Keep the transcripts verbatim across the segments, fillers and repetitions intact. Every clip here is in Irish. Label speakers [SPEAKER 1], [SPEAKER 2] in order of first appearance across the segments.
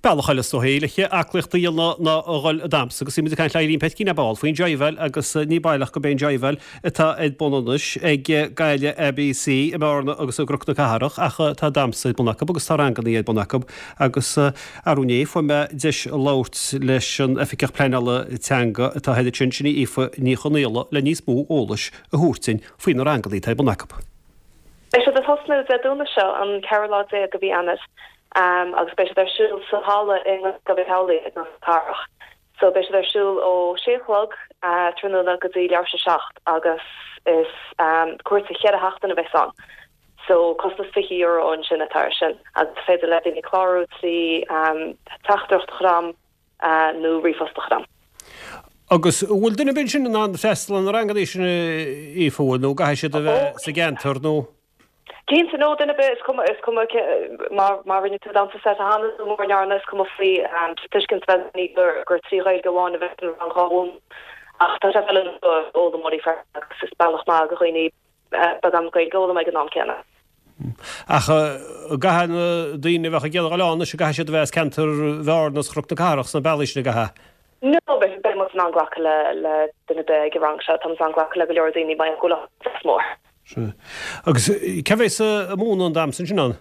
[SPEAKER 1] Bealach eile is dóichí le aclaíocht a dhéanamh ná a dhul ag damhsa agus bhí muid ag caint le Eileen Petkine ar ball faoin jiveáil agus ní baileach gurb é an jiveáil atá ar bun anois ag Gaeilge ABC i mBearna agus i gCnoc na Cathrach ach tá damhsa ar bun acu agus tá ranganna ar bun acu agus arú inné fuair mé deis labhairt leis an oifigeach pleanála teanga atá thoir ansin, sin í Aoife Ní Chonaola le níos mó eolais a thabhairt dúinn faoi na ranganna atá ar bun acu.
[SPEAKER 2] Beidh siad ag tosnú Dé Domhnaigh seo an ceathrú lá déag de mhí Eanáir um, agus beidh siad ar siúl sa halla i Gabi Howley i gCnoc na Cathrach. So beidh siad ar siúl ó sé chlog uh, tráthnóna go dtí leathuair tar éis a seacht agus is um, cúrsa ceithre seachtaine a bheas ann. So costas fiche euro ansin atá air sin agus féidir le daoine clárú trí um, teachtaireacht chram uh, nó ríomhphost chram.
[SPEAKER 1] Agus bhfuil duine ar bith sin in ann freastal ar na ranganna sin Aoife nó caithfidh siad a bheith sa gceantar nó?
[SPEAKER 2] Cinnte no duine ar bith is cuma is cuma má má rinne tú damhsa seite cheana nó mura ndearna is cuma faoi um, tuiscint bheith ní gur gur trí Ghaeilge amháin a bheith an rang amháin ach tá sé feiliúnach d'fhoghlaimeoirí agus is bealach maith do dhaoine beagán Gaeilge a fhoghlaim ag an am céanna.
[SPEAKER 1] Ach caithfidh na daoine a bheadh ag iarraidh a dhul ann is caithfidh siad a bheith as ceantar Bhearna is Chnoc na Cathrach sna bealaí sin a
[SPEAKER 2] No beidh muid in ann glacadh le le duine ar bith ag an rang seo tá an glacadh le go leor daoine mar go mór.
[SPEAKER 1] Agus cé bheas ag múineadh an damhsa sin ann?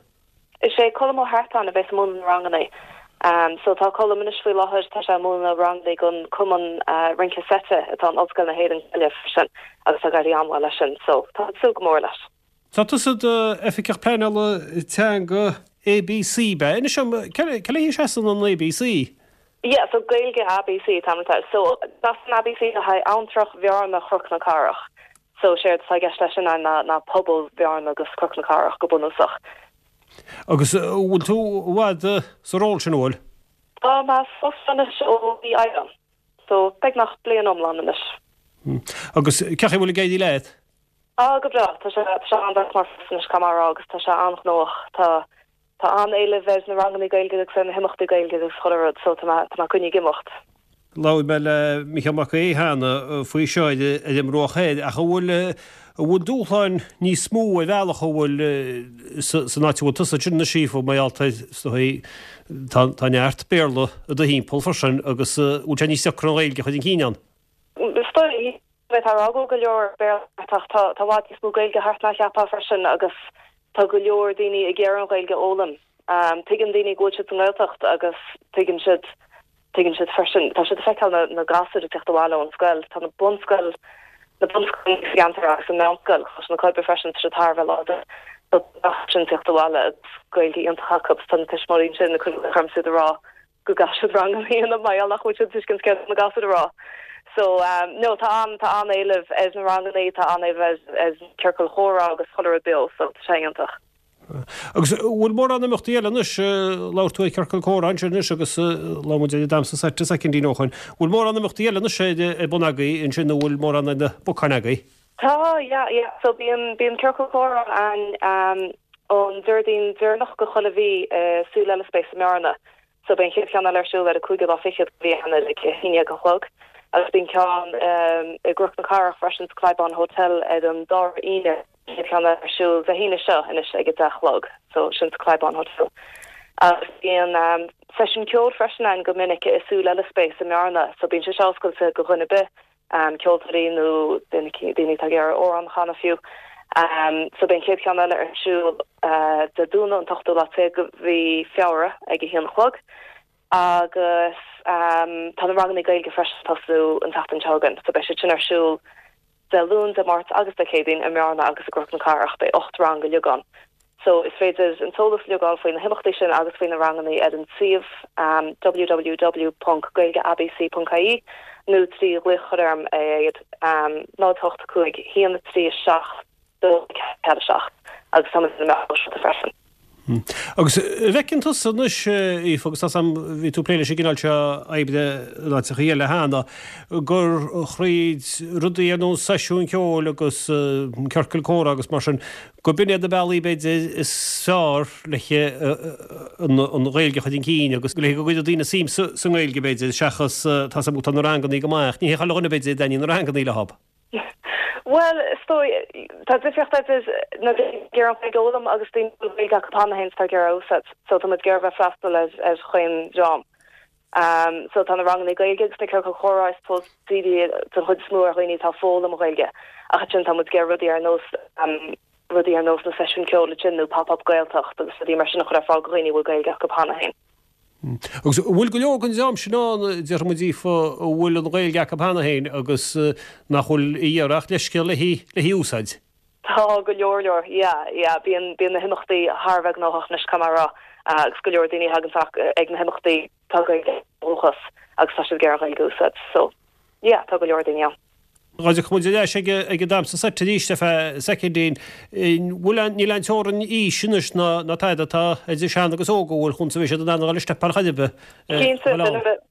[SPEAKER 2] Is é Colm Ó hEartáin a bheas ag múineadh na ranganna. Um, so tá Colm anois faoi láthair tá sé múineadh ranganna don chumann uh, rince seite atá in Ollscoil na hÉireann sin agus tá ag éirí an-mhaith leis sin, so tá súil go mór leis.
[SPEAKER 1] Tá tusa i d'oifigeach pleanála teanga ABC be ina sem ce sean an ABC?
[SPEAKER 2] Yeah, so Gaeilge ABC tá so das an ABC le haghaidh Abhantrach Bhearna Chnoc na Cathrach. So séard atá i gceist leis sin ná ná pobal Bhearna agus Chnoc na Cathrach go bunúsach.
[SPEAKER 1] Agus bhfuil tú i bhfad sa ról sin bhfuil?
[SPEAKER 2] Tá mé anois ó mhí Aibreán. So beagnach bliain iomlán anois.
[SPEAKER 1] Agus cén chaoi a bhfuil ag éirí leat?
[SPEAKER 2] Á go breá tá sé sé an mar anois camrá agus tá sé an-ghnóthach tá tá an-éileamh ar na ranganna Gaeilge agus na himeachtaí Gaeilge agus chuile rud so tá tá coinne ag imeacht.
[SPEAKER 1] Labhair mé le Micheál Mac Aodha cheana faoi seo ar an mBruach Thoir ach an bhfuil an bhfuil dúshláin níos mó ar bhealach a bhfuil san áit bhfuil tusa sin na sífu mar tá tá neart Béarla i do thimpeall freisin agus bhfuil sé níos deacra an Ghaeilge a chur chun cinn ann.
[SPEAKER 2] Tá rá go leor Béarla tá tá i bhfad níos mó Gaeilge thart ná cheapfá freisin agus tá go leor daoine ag iarraidh an Ghaeilge a fhoghlaim. Um, tuigeann daoine go bhfuil siad sa nGaeltacht agus tuigeann siad tuigeann siad freisin tá siad feiceáil na, na gasúir ag teacht abhaile ón scoil tá na bunscoil na bunscoil ceantar agus an meánscoil chus na coibe freisin sé tar láidir sin teacht abhaile agus Gaeilge iontach acu tá na tuismitheoirí sin na chuirm siad rá go gcaithfidh siad rang a dhéanamh mar nach bhfuil siad tuiscint céard na gasúir a rá. So um, no tá an tá an-éileamh ar na ranganna tá an-éileamh ar ciorcal chomhrá agus chuile rud beo so tá sé iontach.
[SPEAKER 1] Agus bhfuil mórán imeachtaí eile anois labhair tú ar ciorcal comhrá ansin anois agus labhair muid ar damhsa seite soicindí ó shin. Bhfuil mórán imeachtaí eile anois ar bun agaibh ansin nó bhfuil mórán na bocáin agaibh?
[SPEAKER 2] Tá yeah, yeah. so bíonn bíonn ciorcal comhrá an um, an Déardaoin deireanach de chuile mhí uh, Súil Eile Space i mBearna. So bíonn chéad cheann ar siúl ar a cúigiú lá fichead de mhí Eanáir ag a haon déag a chlog. agus bíonn ceann um, i gCnoc na Cathrach freisin sa Clybaun Hotel ar an dara hAoine ceann ar siúl Dé hAoine seo anois ag a deich a chlog, so sin sa Clybaun Hotel. Agus bíonn um, seisiún ceoil freisin ann go minic i Súil Eile Space i mBearna, so bíonn sé oscailte do dhuine ar bith um, ceoltóirí nó daoine atá ag iarraidh amhrán a chanadh fiú. Um, so bíonn chéad cheann eile ar siúl uh, Dé Domhnaigh an t-ochtú lá déag de mhí Feabhra ag a haon a chlog. agus um, tá na ranganna Gaeilge freisin tosú an tseachtain seo chugainn, so beidh siad sin ar siúl Dé Luain Dé Máirt agus Dé Céadaoin i mBearna agus i gCnoc na Cathrach beidh ocht rang uilig ann. So is féidir an t-eolas a fháil faoi na himeachtaí sin agus faoi na ranganna ar an suíomh um, www.gaeilgeabc.ie nó trí ghlaoch orm ar um, náid hocht cúig haon trí seacht dó ceathair seacht agus tá na freisin.
[SPEAKER 1] Hmm. Agus bhfeiceann tusa anois Aoife agus tá bhí tú ag plé leis an gcineál seo oibre in áiteacha eile cheana gur thríd rudaí ar nós seisiún ceoil agus ciorcal comhrá agus mar sin go b'in iad na bealaí b'fhéidir is fearr le an Ghaeilge a chur chun cinn agus le go gcuirfidh daoine suim sa nGaeilge b'fhéidir seachas tá tá na ranganna go maith ní hé chuile dhuine b'fhéidir a dtaitníonn na ranganna leob.
[SPEAKER 2] Well, is dóigh, tá difríocht idir na daoine ag iarraidh an Ghaeilge a fhoghlaim agus daoine a bhfuil Gaeilge acu cheana féin is atá ag iarraidh a úsáid. So tá muid ag iarraidh bheith freastal ar ar chaon dream. Um, so tá na ranganna Gaeilge agus na ciorcail chomhrá I suppose dírithe den chuid is mó ar dhaoine atá ag foghlaim Gaeilge. Ach ansin tá muid ag iarraidh rudaí ar nós um, rudaí ar nós na seisiún ceoil sin nó pop-up Gaeltacht agus rudaí mar sin a chur ar fáil do dhaoine a bhfuil Gaeilge acu cheana féin.
[SPEAKER 1] Agus bhfuil go leor den dream sin ann déarfaidh muid Aoife a bhfuil an Ghaeilge acu cheana féin agus nach bhfuil ag iarraidh ach leithscéal le hí le hí úsáid.
[SPEAKER 2] Tá go leor leor, yeah, yeah, bíonn bíonn na himeachtaí thar a bheith gnóthach anois caithfidh mé a rá agus go leor daoine a thagann ag na himeachtaí tá Gaeilge dúchas agus tá siad ag iarraidh an Ghaeilge a úsáid, so yeah, tá go leor daoine ann.
[SPEAKER 1] Dá dtiocfadh muid ar ais ag ag an damhsa seit arís ar feadh soicindín. Bhfuil an níl aon teorainn aois anois ná ná tada tá idir sean agus óg a bhfuil chun sa bhí siad in ann a dhul isteach ar chor ar bith.
[SPEAKER 2] Cinnte duine ar bith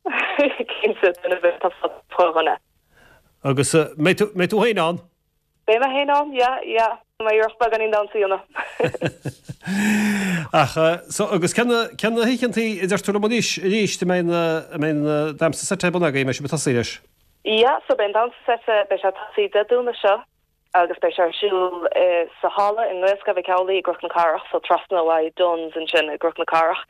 [SPEAKER 2] cinnte duine ar bith tá fá choinne.
[SPEAKER 1] Agus mbeidh tú mbeidh tú féin ann?
[SPEAKER 2] Beidh mé féin ann, yeah, yeah. Má iarracht beagáinín damhsa a dhéanamh.
[SPEAKER 1] Ach so agus cén cén na hoícheantaí a deir tú liom arís arís a mbeidh na a mbeidh na damhsa seit ar bun agaibh, mbeidh sibh ag tosaí leis?
[SPEAKER 2] Yeah, so beidh an damhsa seite beidh sé ag tosaí Dé Domhnaigh seo agus beidh sé ar siúl eh, sa halla i nGaelscoil Mhic Amhlaigh i gCnoc na Cathrach, so trasna ó Dunnes ansin i gCnoc na Cathrach.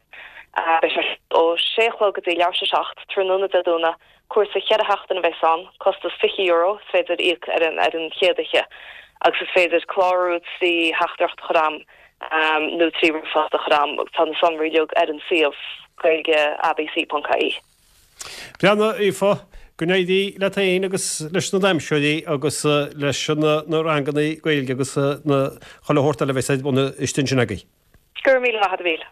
[SPEAKER 2] Uh, beidh sé ó sé a chlog go dtí leathuair tar éis a seacht tráthnóna Dé Domhnaigh, cúrsa ceithre seachtaine a bheas ann, costas fiche euro, is féidir íoc ar an ar an chéad oíche. Agus is féidir clárú trí theachtaireacht a chur agam um, nó trí ríomhphost a chur agam, tá na sonraí uilig ar an suíomh gaeilge abc.ie.
[SPEAKER 1] Breathnaigh Aoife, go n-éirí leat féin agus leis na damhsóirí agus leis na na ranganna Gaeilge agus na chuile shórt eile a bheas ar bun istigh ansin agaibh.
[SPEAKER 2] Go raibh míle maith agat a Mhíl.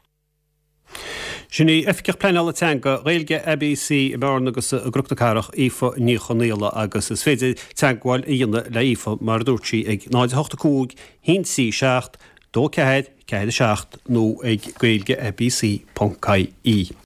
[SPEAKER 1] Sin í Oifigeach Pleanála Teanga Gaeilge ABC i mBearna agus i gCnoc na Cathrach Aoife Ní Chonaola agus is féidir teagmháil a dhéanamh le Aoife mar a dúirt sí ag náid a hocht a cúig haon trí seacht dó ceathair ceathair a seacht nó ag gaeilge abc.ie.